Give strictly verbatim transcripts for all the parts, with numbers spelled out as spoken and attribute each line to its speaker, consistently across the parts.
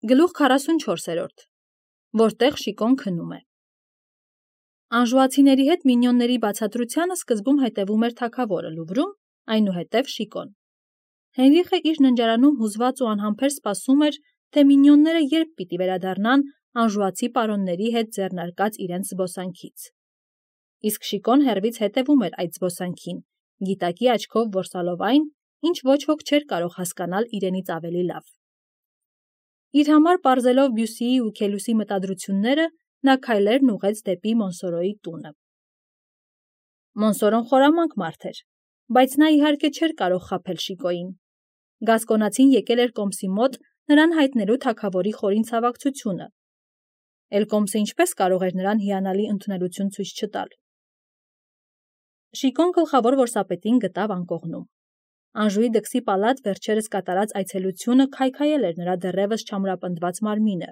Speaker 1: Գլուխ քառասունչորսերորդ, որտեղ Շիկոն քնում է։ Անժուացիների հետ մինյոնների բացատրությանը սկզբում հետևում էր թագավորը Լուվրում, այնուհետև Շիկոն։ Հենրիխը իր ննջարանում հուզված ու անհամբեր սպասում էր, թե մինյոնները երբ պիտի վերադառնան անժուացի պարոնների հետ ձեռնարկած իրենց զբոսանքից։ Իսկ Շիկոն հեռվից հետևում էր այդ զբոսանքին, գիտակի աչքով որսալով այն, ինչ ոչ ոք չէր կարող հասկանալ իրենից ավելի լավ։ Իր համար պարզելով Բյուսիի ու Քելուսի մտադրությունները, նա քայլերն ուղղեց դեպի Մոնսորոյի տունը։ Մոնսորոն խորամանկ մարդ էր, բայց նա իհարկե չէր կարող խաբել Շիկոյին։ Գասկոնացին եկել էր Կոմսի մոտ նրան հայտնելու թագավորի խորին ցավակցությունը։ Էլ Կոմսը ինչպես կարող էր նրան հիանալի ընդունելություն ցույց չտալ։ Շիկոն գլխավոր որսապետին գտավ անկողնում։ Անժուի դքսի պալատ վերջերս կատարած այցելությունը քայքայել էր նրա դեռևս չամրապնդված մարմինը,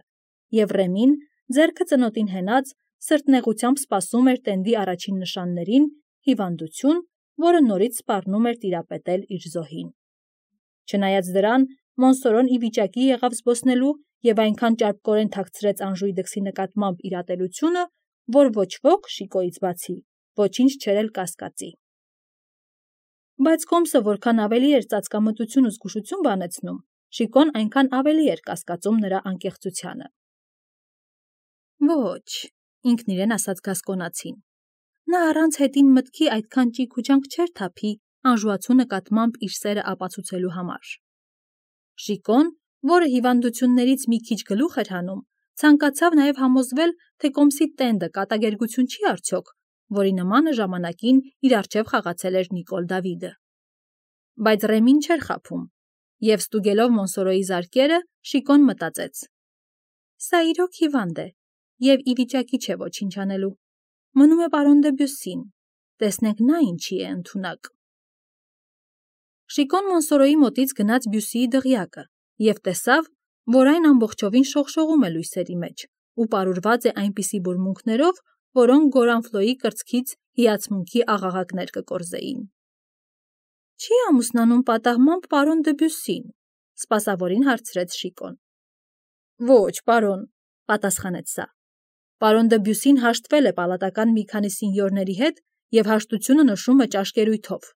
Speaker 1: և Ռեմին, ձեռքը ծնոտին հենած, սրտնեղությամբ սպասում էր տենդի առաջին նշաններին, հիվանդություն, որը նորից սպառնում էր տիրապետել իր զոհին։ Չնայած դրան, Մոնսորոն ի վիճակի եղավ զբոսնելու և այնքան ճարպկորեն թաքցրեց Անժուի դքսի նկատմամբ իր ատելությունը, որ ոչ ոք, Շիկոյից բացի, ոչինչ չէր էլ կասկածի։ Բայց Կոմսը որքան ավելի էր ծածկամտություն ու զգուշություն բանեցնում, Շիկոն այնքան ավելի էր կասկածում նրա անկեղծությանը։ Ոչ, ինքն իրեն ասաց Գասկոնացին, նա առանց հետին մտքի այդքան ճիգ ու ջանք չէր թափի անժուացու նկատմամբ իր սերը ապացուցելու համար։ Շիկոն, որը հիվանդություններից մի քիչ գլուխ էր հանում, ցանկացավ նաև համոզվել, թե Կոմսի տենդը կատակերգություն չի արդյոք, որի նմանը ժամանակին իր առջև խաղացել էր Նիկոլ Դավիդը։ Բայց Ռեմին չէր խաբում, և ստուգելով Մոնսորոյի զարկերը, Շիկոն մտածեց. սա իրոք հիվանդ է, և ի վիճակի չէ ոչինչ անելու։ Մնում է պարոն դը Բյուսին, տեսնենք նա ինչի է ընդունակ։ Շիկոն Մոնսորոյի մոտից գնաց Բյուսիի դղյակը և տեսավ, որ այն ամբողջովին շողշողում է լույսերի մեջ ու պարուրված է այնպիսի բուրմունքներով, որոնք Գորանֆլոյի կրծքից հիացմունքի աղաղակներ կկորզեին։ Չի՞ ամուսնանում պատահմամբ պարոն դը Բյուսին, սպասավորին հարցրեց Շիկոն։ Ոչ, պարոն, պատասխանեց սա։ Պարոն դը Բյուսին հաշտվել է պալատական մի քանի սինյորների հետ և հաշտությունը նշում է ճաշկերույթով։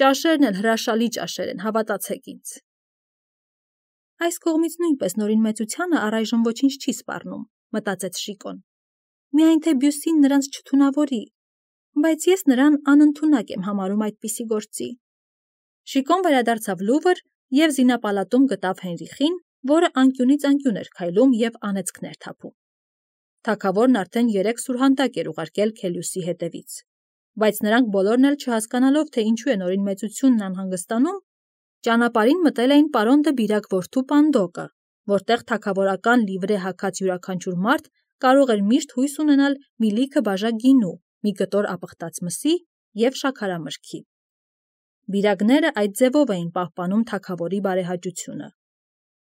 Speaker 1: Ճաշերն էլ հրաշալի ճաշեր են, հավատացեք ինձ։ Այս կողմից նույնպես նորին մեծությանը առայժմ ոչինչ չի սպառնում, մտածեց Շիկոն։ Միայն թե Բյուսին նրանց չթունավորի, բայց ես նրան անընդունակ եմ համարում այդպիսի գործի։ Շիկոն վերադարձավ Լուվր և զինապալատում գտավ Հենրիխին, որը անկյունից անկյուն էր քայլում և անեծքներ թափում։ Թագավորն արդեն երեք սուրհանդակ էր ուղարկել Քելյուսի հետևից, բայց նրանք բոլորն էլ չհասկանալով, թե ինչու է նորին մեծությունն անհանգստանում, ճանապարհին մտել էին պարոն դը Բիրակ որդու Պանդոկը, որտեղ թագավորական լիվրե հագած յուրաքանչյուր մարդ կարող էր միշտ հույս ունենալ մի լիքը բաժակ գինու, մի կտոր ապխտած մսի և շաքարամրգի։ Բիրակները այդ ձևով էին պահպանում թագավորի բարեհաճությունը։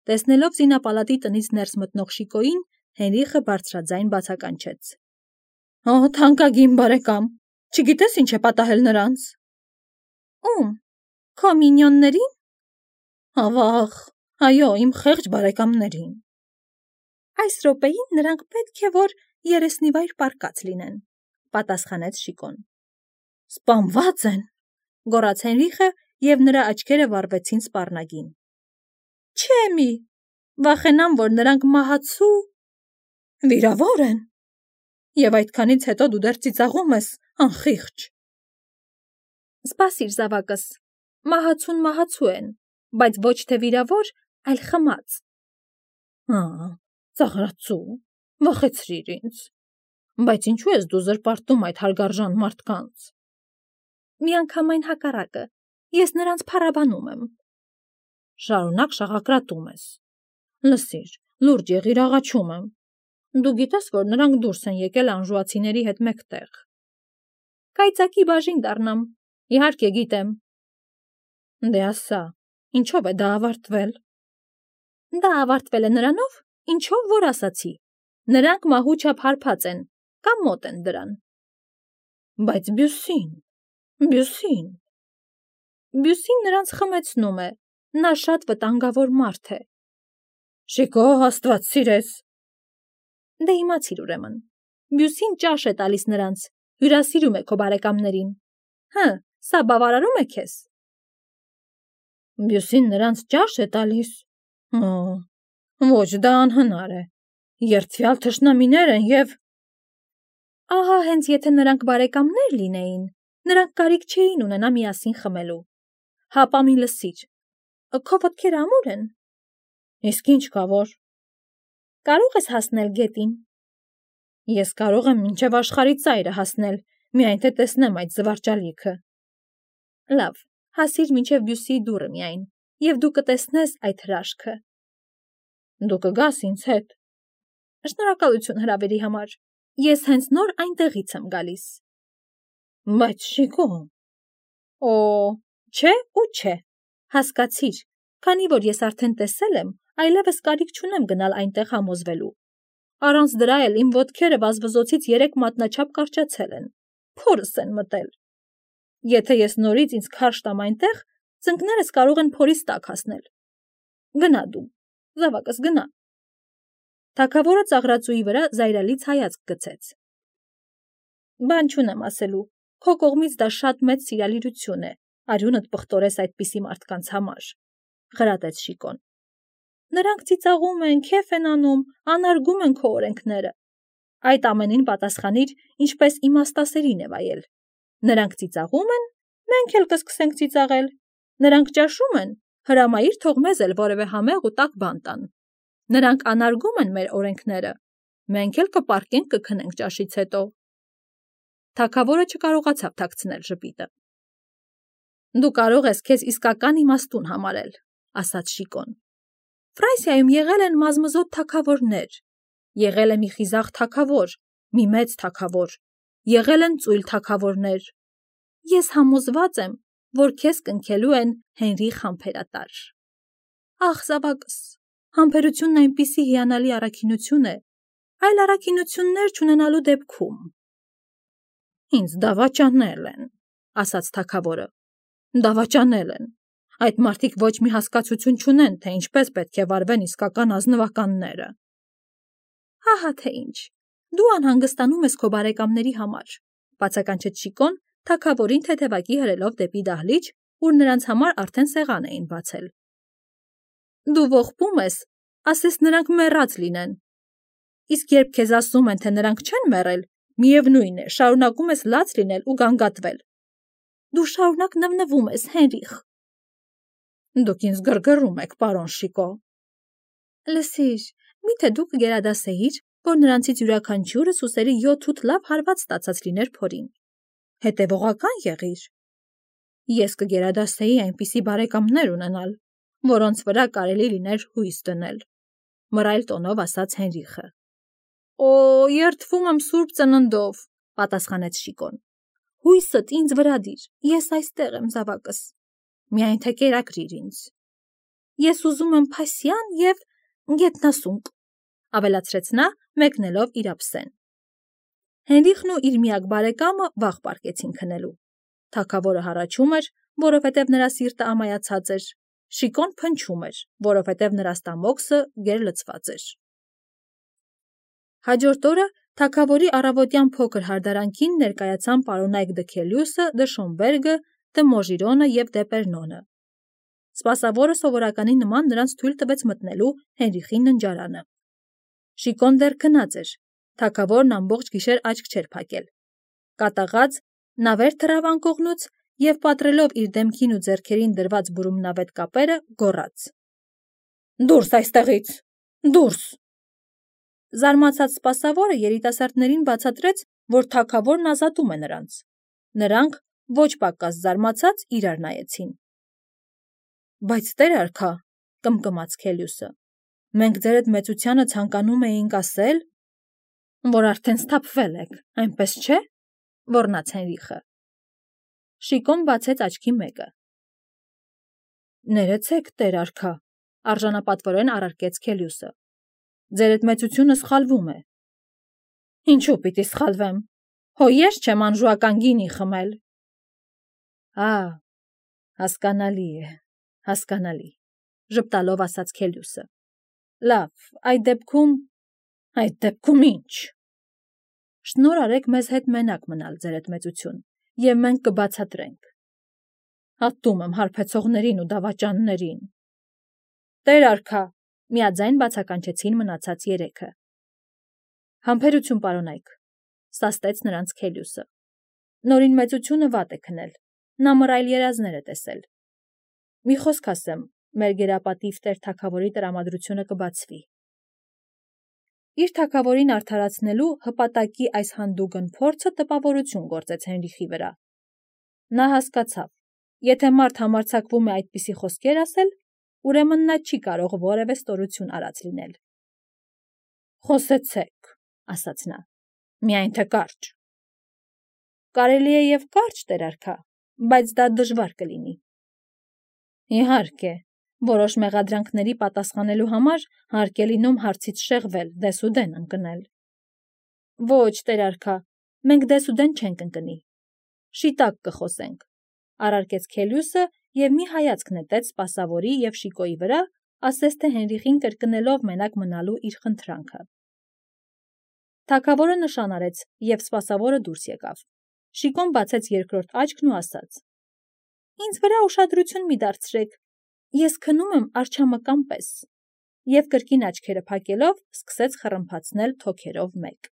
Speaker 1: Տեսնելով զինապալատի տնից ներս մտնող Շիկոյին, Հենրիխը բարձրաձայն բացականչեց. Օ, թանկագին բարեկամ, չգիտես ինչ է պատահել նրանց։ Ում, քո մինյոնների՞ն։ Ավաղ, այո, իմ խեղճ բարեկամներին։ Այս րոպեին նրանք պետք է որ երեսնիվայր պառկած լինեն, պատասխանեց Շիկոն։ Սպանված են, գոռաց Հենրիխը, և նրա աչքերը վառվեցին սպառնագին։ Չէ մի, վախենամ, որ նրանք մահացու… Վիրավոր են։ Եվ այդքանից հետո դու դեռ ծիծաղում ես, անխիղճ։ Սպասիր, զավակս, մահացուն մահացու են, բայց ոչ թե վիրավոր, այլ խմած։ Ա, ծաղրածու, վախեցրիր ինձ։ Բայց ինչու ես դու զրպարտում այդ հարգարժան մարդկանց։ Միանգամայն հակառակը, ես նրանց փառաբանում եմ։ Շարունակ շաղակրատում ես։ Լսիր, լուրջ եղիր, աղաչում եմ։ Դու գիտես, որ նրանք դուրս են եկել անժուացիների հետ մեկտեղ։ Կայծակի բաժին դառնամ, իհարկե գիտեմ։ Դե ասա, ինչով է դա ավարտվել։ Դա ավարտվել է նրանով, ինչով որ ասացի։ Նրանք մահու չափ հարբած են, կամ մոտ են դրան։ Բայց Բյուսին, Բյուսին… Բյուսին նրանց խմեցնում է, նա շատ վտանգավոր մարդ է։ Շիկո, Աստված սիրեց։ Դե իմացիր ուրեմն։ Բյուսին ճաշ է տալիս նրանց, հյուրասիրում է քո բարեկամներին։ Հը, սա բավարարում է քեզ։ Բյուսին նրանց ճաշ է տալիս։ Հո, ոչ, դա անհնար է։ Երդվյալ թշնամիներ են և… Ահա հենց եթե նրանք բարեկամներ լինեին, նրանք կարիք չէին ունենա միասին խմելու։ Հապա մի լսիր, քո ոտքերը ամուր են։ Իսկ ինչ կա որ։ Կարող ես հասնել գետին։ Ես կարող եմ մինչև աշխարհի ծայրը հասնել, միայն թե տեսնեմ այդ զվարճալիքը։ Լավ, հասիր մինչև Բյուսիի դուռը միայն, և դու կտեսնես այդ հրաշքը։ Դու կգաս ինձ հետ։ Շնորհակալություն հրավերի համար։ Ես հենց նոր այնտեղից եմ գալիս։ Բայց Շիկո… Օ, չէ ու չէ։ Հասկացիր, քանի որ ես արդեն տեսել եմ, այլևս կարիք չունեմ գնալ այնտեղ համոզվելու։ Առանց դրա էլ իմ ոտքերը վազվզոցից երեք մատնաչափ կարճացել են, փորս են մտել։ Եթե ես նորից ինձ քարշ տամ այնտեղ, ծնկներս կարող են փորից տակ հասնել։ Գնա դու, զավակս, գնա։ Թագավորը ծաղրածուի վրա զայրալից հայացք գցեց։ Բան չունեմ ասելու, քո կողմից դա շատ մեծ սիրալիրություն է, արյունդ պղտորես այդպիսի մարդկանց համար, խրատեց Շիկոն։ Նրանք ծիծաղում են, քեֆ են անում, անարգում են քո օրենքները։ Այդ ամենին պատասխանիր, ինչպես իմաստասերին է վայել։ Նրանք ծիծաղում են, մենք էլ կսկսենք ծիծաղել։ Նրանք ճաշում են, հրամայիր թող մեզ էլ որևէ համեղ ու տաք բան տան։ Նրանք անարգում են մեր օրենքները, մենք էլ կպառկենք կքնենք ճաշից հետո։ Թագավորը չկարողացավ թաքցնել ժպիտը։ Դու կարող ես քեզ իսկական իմաստուն համարել, ասաց Շիկոն։ Ֆրանսիայում եղել են մազմզոտ թագավորներ, եղել է մի խիզախ թագավոր, մի մեծ թագավոր, եղել են ծույլ թագավորներ։ Ես համոզված եմ, որ քեզ կնքելու են Հենրի խամբերատար։ Ախ, զավակս, համբերությունն այնպիսի հիանալի առաքինություն է, այլ առաքինություններ չունենալու դեպքում։ Ինձ դավաճանել են, ասաց թագավորը։ Դավաճանել են։ Այդ մարդիկ ոչ մի հասկացություն չունեն, թե ինչպես պետք է վարվեն իսկական ազնվականները։ Հահա թե ինչ, դու անհանգստանում ես քո բարեկամների համար, բացականչեց Շիկոն, թագավորին թեթևակի հրելով դեպի դահլիճ, ուր նրանց համար արդեն սեղան էին բացել։ Դու ողբում ես, ասես նրանք մեռած լինեն։ Իսկ երբ քեզ ասում են, թե նրանք չեն մեռել, միևնույն է, շարունակում ես լաց լինել ու գանգատվել։ Դու շարունակ նվնվում ես, Հենրիխ։ Դուք ինձ գրգռում եք, պարոն Շիկո։ Լսիր, միթե դու կգերադասեիր, որ նրանցից յուրաքանչյուրը ուսերի յոթ-ութ լավ հարված ստացած լիներ փորին։ Հետևողական եղիր։ Ես կգերադասեի այնպիսի բարեկամներ ունենալ, որոնց վրա կարելի լիներ հույս դնել, մռայլ տոնով ասաց Հենրիխը։ Օ, երդվում եմ սուրբ ծննդով, պատասխանեց Շիկոն։ Հույսդ ինձ վրա դիր, ես այստեղ եմ, զավակս։ Միայն թե կերակրիր ինձ։ Ես ուզում եմ փասյան և գետնասունկ, ավելացրեց նա, մեկնելով իր ափսեն։ Հենրիխն ու իր միակ բարեկամը վաղ պառկեցին քնելու։ Թագավորը հառաչում էր, որովհետև նրա սիրտը ամայացած էր, Շիկոն փնչում էր, որովհետև նրա ստամոքսը գերլցված էր։ Հաջորդ օրը թագավորի առավոտյան փոքր հարդարանքին ներկայացան պարոնայք դը Քելիուսը, դը Շոմբերգը, դը Մոժիրոնը և դե Պերնոնը։ Սպասավորը սովորականի նման նրանց թույլ տվեց մտնելու Հենրիխի ննջարանը։ Շիկոն դեռ քնած էր, թագավորն ամբողջ գիշեր աչք չէր փակել։ Կատաղած նա վեր թռավ անկողնուց և պատռելով իր դեմքին ու ձեռքերին դրված բուրումնավետ կապերը, գոռաց. Դուրս այստեղից, դուրս։ Զարմացած սպասավորը երիտասարդներին բացատրեց, որ թագավորն ազատում է նրանց։ Նրանք, ոչ պակաս զարմացած, իրար նայեցին։ Բայց տեր արքա, կմկմաց Քելիուսը, մենք ձեր այդ մեծությանը ցանկանում էինք ասել, որ արդեն սթափվել եք, այնպես չէ, ոռնաց Հենրիխը։ Շիկոն բացեց աչքի մեկը։ Ներեցեք, տեր արքա, արժանապատվորեն առարկեց Քելիուսը։ Ձեր այդ մեծությունը սխալվում է։ Ինչու պիտի սխալվեմ։ Հո ես չեմ անժուական գինի խմել։ Ա, հասկանալի է, հասկանալի, ժպտալով ասաց Քելիուսը։ Լավ, այդ դեպքում… Այդ դեպքում ի՞նչ… Շնորհ արեք մեզ հետ մենակ մնալ, ձեր էդ մեծություն, և մենք կբացատրենք… Ատում եմ հարբեցողներին ու դավաճաններին… Տեր արքա, միաձայն բացականչեցին մնացած երեքը… Համբերություն պարոնայք, սաստեց նրանց Քելիոսը… Նորին մեծությունը վատ է քնել, նա մռայլ երազներ է տեսել… Մի խոսք ասեմ, մեր գերապատիվ տեր թագավորի տրամադրությունը կբացվի… Իր թագավորին արդարացնելու հպատակի այս հանդուգն փորձը տպավորություն գործեց Հենրիխի վրա… Նա հասկացավ, եթե մարդ համարձակվում է այդպիսի խոսքեր ասել, ուրեմն նա չի կարող որևէ ստորություն արած լինել… Խոսեցեք, ասաց նա, միայն թե կարճ… Կարելի է և կարճ, տեր արքա, բայց դա դժվար կլինի… Իհարկե, որոշ մեղադրանքների պատասխանելու համար հարկ է լինում հարցից շեղվել, դեսուդեն ընկնել… Ոչ, տեր արքա, մենք դեսուդեն չենք ընկնի… Շիտակ կխոսենք, առարկեց Քելիոսը և մի հայացք նետեց սպասավորի և Շիկոյի վրա, ասես թե Հենրիխին կրկնելով մենակ մնալու իր խնդրանքը… Թագավորը նշան արեց, և սպասավորը դուրս եկավ… Շիկոն բացեց երկրորդ աչքն ու ասաց. Ինձ վրա ուշադրություն մի դարձրեք, ես քնում եմ արջամկան պես… Եվ կրկին աչքերը փակելով, սկսեց խռմփացնել թոքերով մեկ…